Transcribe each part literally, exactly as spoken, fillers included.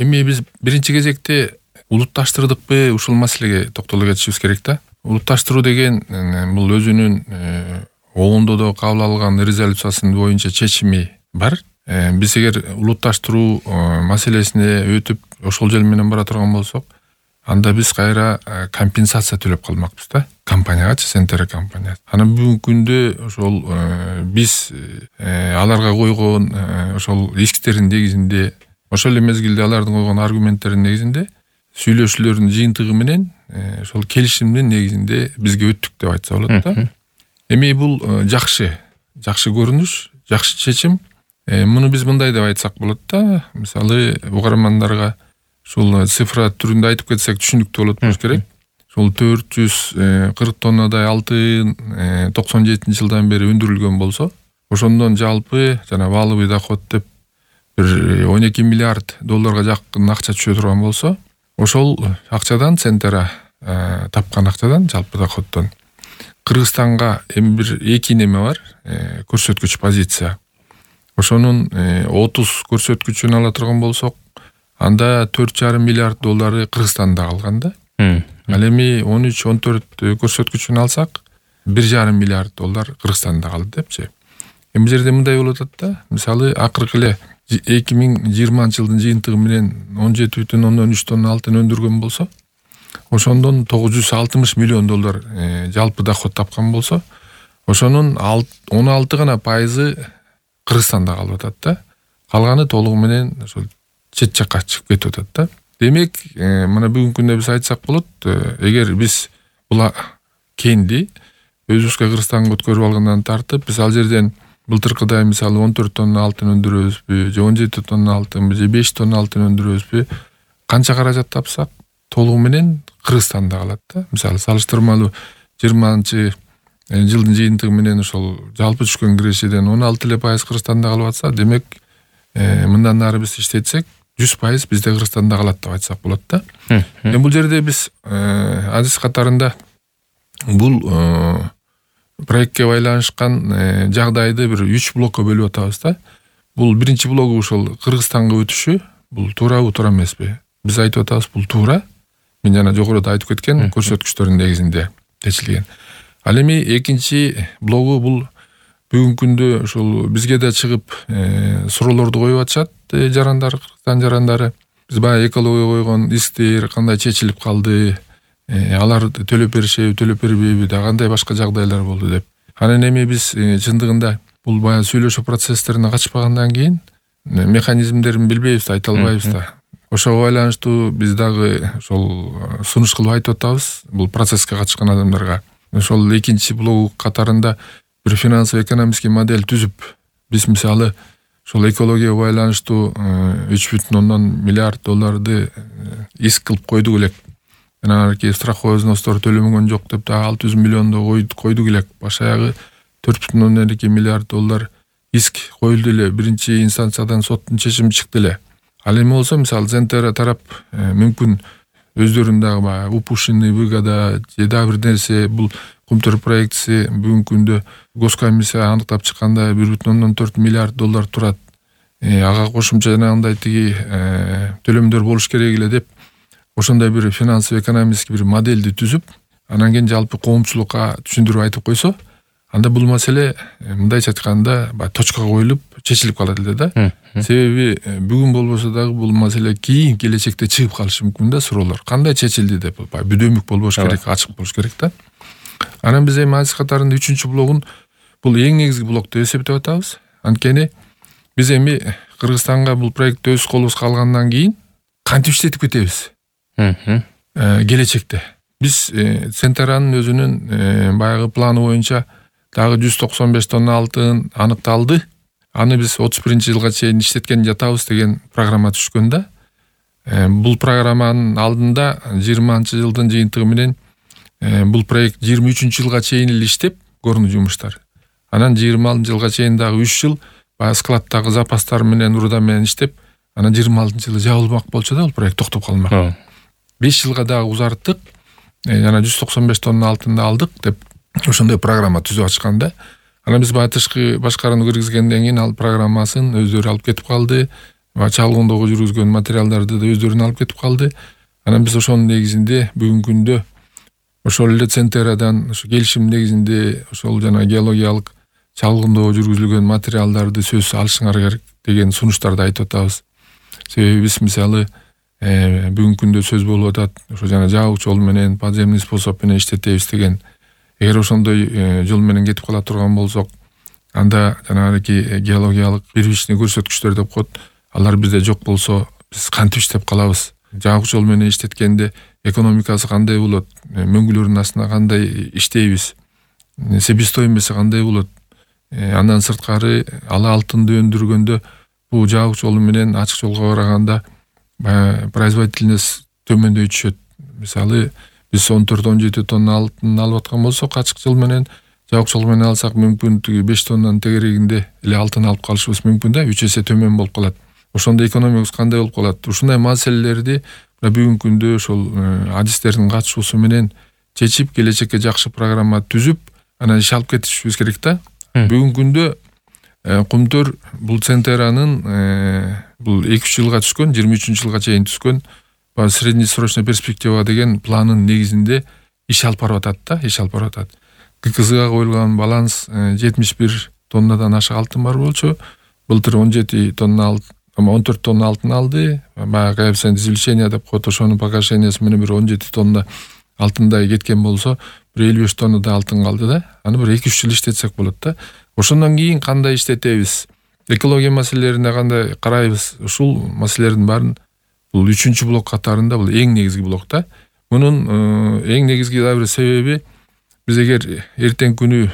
Эми биз биринчи кезекте улутташтырдыкпы, ушул маселеге токтоло кетишибиз керек да. Улутташтыруу деген бул өзүнүн оңдо да кабыл алган резолюциясынын боюнча чечими бар. Биз эгер улутташтыруу маселесине өтүп ошол жол менен бара турган болсок, анда биз кайра компенсация төлөп калмакпыз да, компаниягачы, Centera компания. Анан бүгүнкү күндө ошол биз аларга койгон ошол исктердин негизинде, ошол эле мезгилде алардын койгон аргументтеринин негизинде, сүйлөшүүлөрдүн жыйынтыгы менен ошол келишимдин негизинде бизге өттүк деп айтса болот да. Эми бул жакшы, жакшы көрүнүш, жакшы чечим. Муну биз мындай деп айтсак болот да. Мисалы, угармандарга ушул цифра түрүндө айтып кетсек түшүнүктүү болот болуш керек. Ушул төрт жүз кырк тоннадай алтын токсон жетинчи жылдан бери өндүрүлгөн болсо, ошондон жалпы жана валовый доход деп бир он эки миллиард долларга жакын акча түшө турган болсо, ошол акчадан Centera тапкан акчадан, жалпы доходдон Кыргызстанга эми бир эки неме бар, көрсөткүч позиция. Ошонун отуз көрсөткүчүн ала турган болсок, анда төрт жарым миллиард доллары Кыргызстанда калган да. Ал эми он үч он төрт көрсөткүчүн алсак, бир жарым миллиард доллар Кыргызстанда калды депчи. Эми жерде мындай болуп атат да. Мисалы, акыркы эле эки миң жыйырманчы жылдын жыйынтыгы менен он жети бүтүн ондон үч тонна алтын өндүргөн болсо, ошондон тогуз жүз алтымыш миллион доллар жалпы доход тапкан болсо, ошонун он алты гана пайызы Кыргызстанда калып атат да. Калганы толугу менен ошол чет жакка чыгып кетип атат да. Демек, мына бүгүнкү күндө биз айтсак болот, эгер биз бул кенди өзүбүзгө Кыргызстанга өткөрүп алгандан тартып, биз ал жерден былтыркыдай мисалы он төрт тонна алтын өндүрөбүзбү, же он жети тонна алтынбы, же беш тонна алтын өндүрөбүзбү, канча каражат тапсак, толугу менен Кыргызстанда калат да. Мисалы, салыштырмалуу жыйырманчы жылдын жыйынтыгы менен ошол жалпы түшкөн кирешеден он алты эле пайыз Кыргызстанда калып атса, демек, мындан нары биз иштетсек, жүз пайыз бизде Кыргызстанда калат деп айтсак болот да. Эми бул жерде биз адис катарында бул проектке байланышкан жагдайды бир үч блокко бөлүп атабыз да. Бул биринчи блогу ушул Кыргызстанга өтүшү, бул туурабы, туура эмеспи? Биз айтып атабыз, бул туура. Мен жана жогоруда айтып кеткен көрсөткүчтөрдүн негизинде чечилген. Ал эми экинчи блогу бул бүгүнкү күндө ушул бизге да чыгып суроолорду коюп атышат жарандар, Кыргызстан жарандары. Биз баягы экология койгон исктер кандай чечилип калды, алар төлөп беришеби, төлөп бербейби, да кандай башка жагдайлар болду деп. Анан эми биз чындыгында бул баягы сүйлөшүү процесстерине катышпагандан кийин механизмдерин билбейбиз да, айта албайбыз да. Ошого байланыштуу биз дагы ошол сунуш кылып айтып атабыз бул процесске катышкан адамдарга. Ошол экинчи блог катарында бир финансово-экономический модель түзүп, биз мисалы ошол экологияга байланыштуу үч бүтүн ондон миллиард долларды иск кылып койдук элек. Анан арки страховой взностор төлөмөгөн жок деп дагы алты жүз миллионду койдук элек. Баш аягы төрт бүтүн ондон эки миллиард доллар иск коюлду эле. Биринчи инстанциядан соттун чечими чыкты эле. Ал эми болсо, мисалы, Centera тарап мүмкүн өздөрүн дагы баягы упущенный выгода же дагы бир нерсе, бул Кумтөр проектиси бүгүнкү күндө госкомиссия аныктап чыкканда бир бүтүн ондон төрт миллиард доллар турат. Ага кошумча жанагындай тиги төлөмдөр болуш керек эле деп, ошондой бир финансово-экономический бир модельди түзүп, анан кийин жалпы коомчулукка түшүндүрүп айтып койсо, анда бул маселе мындайча айтканда баягы точкага коюлуп чечилип калат эле да. Себеби бүгүн болбосо дагы бул маселе кийин келечекте чыгып калышы мүмкүн да, суроолор. Кандай чечилди деп, баягы бүдөмүк болбош керек, ачык болуш керек да. Анан биз эми адис катарында үчүнчү блогун бул эң негизги блок деп эсептеп атабыз. Анткени биз эми Кыргызстанга бул проектти өз колубузга алгандан кийин кантип иштетип кетебиз? Келечекте биз Centera'нын өзүнүн баягы планы боюнча дагы жүз токсон беш тонна алтын аныкталды. Аны биз отуз биринчи жылга чейин иштеткен жатабыз деген программа түшкөн да. Бул программанын алдында жыйырманчы жылдын жыйынтыгы менен бул проект жыйырма үчүнчү жылга чейин эле иштеп көрүнүү жумуштар. Анан жыйырма алтынчы жылга чейин дагы үч жыл баягы складдагы запастар менен, урда менен иштеп, анан жыйырма алтынчы жылы жабылмак болчу да, бул проект токтоп калмак. беш жылга дагы узарттык. Жана жүз токсон беш тонна алтынды алдык деп ошондой программа түзүп ачкан да. Анан биз баягы тышкы башкарууну киргизгенден кийин ал программасын өздөрү алып кетип калды. чалгындоого жүргүзгөн материалдарды да өздөрүнө алып кетип калды. Анан биз ошонун негизинде бүгүнкү күндө ошол эле Центерадан ошо келишим негизинде ошол жана геологиялык чалгындоо жүргүзүлгөн материалдарды сөзсүз алышыңар керек деген сунуштарды айтып атабыз. Себеби биз мисалы бүгүнкү күндө сөз болуп атат, ошо жана жабык жол менен подземный способ менен иштетебиз деген. Эгер ошондой жол менен кетип кала турган болсок, анда жанагы геологиялык первичный көрсөткүчтөр деп коет, алар бизде жок болсо биз кантип иштеп калабыз? Жабык жол менен иштеткенде экономикасы кандай болот? Мөңгүлөрдүн астына кандай иштейбиз? Себестоимости кандай болот? Андан сырткары ала алтынды өндүргөндө бул жабык жол менен ачык жолго караганда производительность төмөндөй түшөт. Мисалы биз он төрт он жети тонна алтын алып аткан болсок, ачык жол менен жабык жол менен алсак мүмкүн беш тоннанын тегерегинде эле алтын алып калышыбыз мүмкүн да, үч эсе төмөн болуп калат. Ошондо экономикабыз кандай болуп калат? Ушундай маселелерди бүгүнкү күндө ошол адистердин катышуусу менен чечип, келечекке жакшы программа түзүп, анан иш алып кетишибиз керек да. Бүгүнкү күндө Кумтөр бул Центеранын бул эки үч жылга түшкөн, жыйырма үчүнчү жылга чейин түшкөн среднесрочная перспектива деген планын негизинде иш алып барып атат да, иш алып барып атат. ККЗга коюлган баланс жетимиш бир тоннадан ашык алтын бар болчу. Былтыр он жети тонна он төрт тонна алтын алды. Баягы коэффициент извлечения деп коет, ошонун погашениясы менен бир он жети тонна алтындай кеткен болсо, бир элүү беш тонна да алтын калды да. Аны бир эки үч жыл иштетсек болот да. Ошондон кийин кандай иштетебиз? Экология маселелерине кандай карайбыз? Ушул маселелердин баарын бул үчүнчү блок катарында бул эң негизги блок да. Мунун эң негизги да бир себеби, биз эгер эртең күнү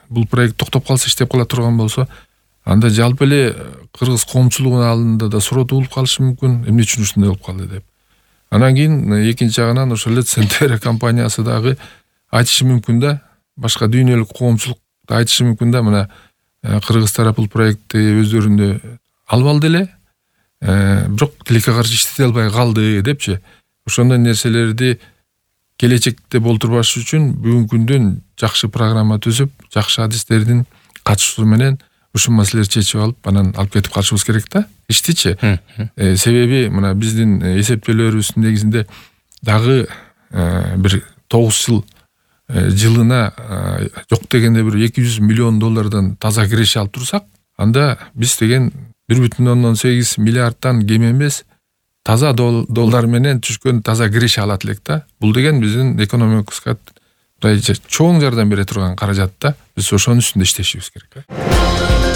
бул проект токтоп калса, иштеп кала турган болсо, анда жалпы эле кыргыз коомчулугунун алдында да суроо туулуп калышы мүмкүн, эмне үчүн ушундай болуп калды деп. Анан кийин экинчи жагынан ошол эле Центера компаниясы дагы айтышы мүмкүн да, башка дүйнөлүк коомчулук да айтышы мүмкүн да, мына кыргыз тарап бул проектти өздөрүндө алып алды эле, бирок тилекке каршы иштете албай калды депчи. Ошондой нерселерди келечекте болтурбаш үчүн бүгүнкү күндөн жакшы программа түзүп, жакшы адистердин катышуусу менен ушул маселелерди чечип алып, анан алып кетип калышыбыз керек да, иштичи. Себеби мына биздин эсептөөлөрүбүздүн негизинде дагы бир тогуз жыл жылына жок дегенде бир эки жүз миллион доллардан таза киреше алып турсак, анда биз деген бир бүтүн ондон сегиз миллиардтан кем эмес таза доллар менен түшкөн таза киреше алат элек да. Бул деген биздин экономикабызга чоң жардам бере турган каражат да. Биз ошонун үстүндө иштешибиз керек.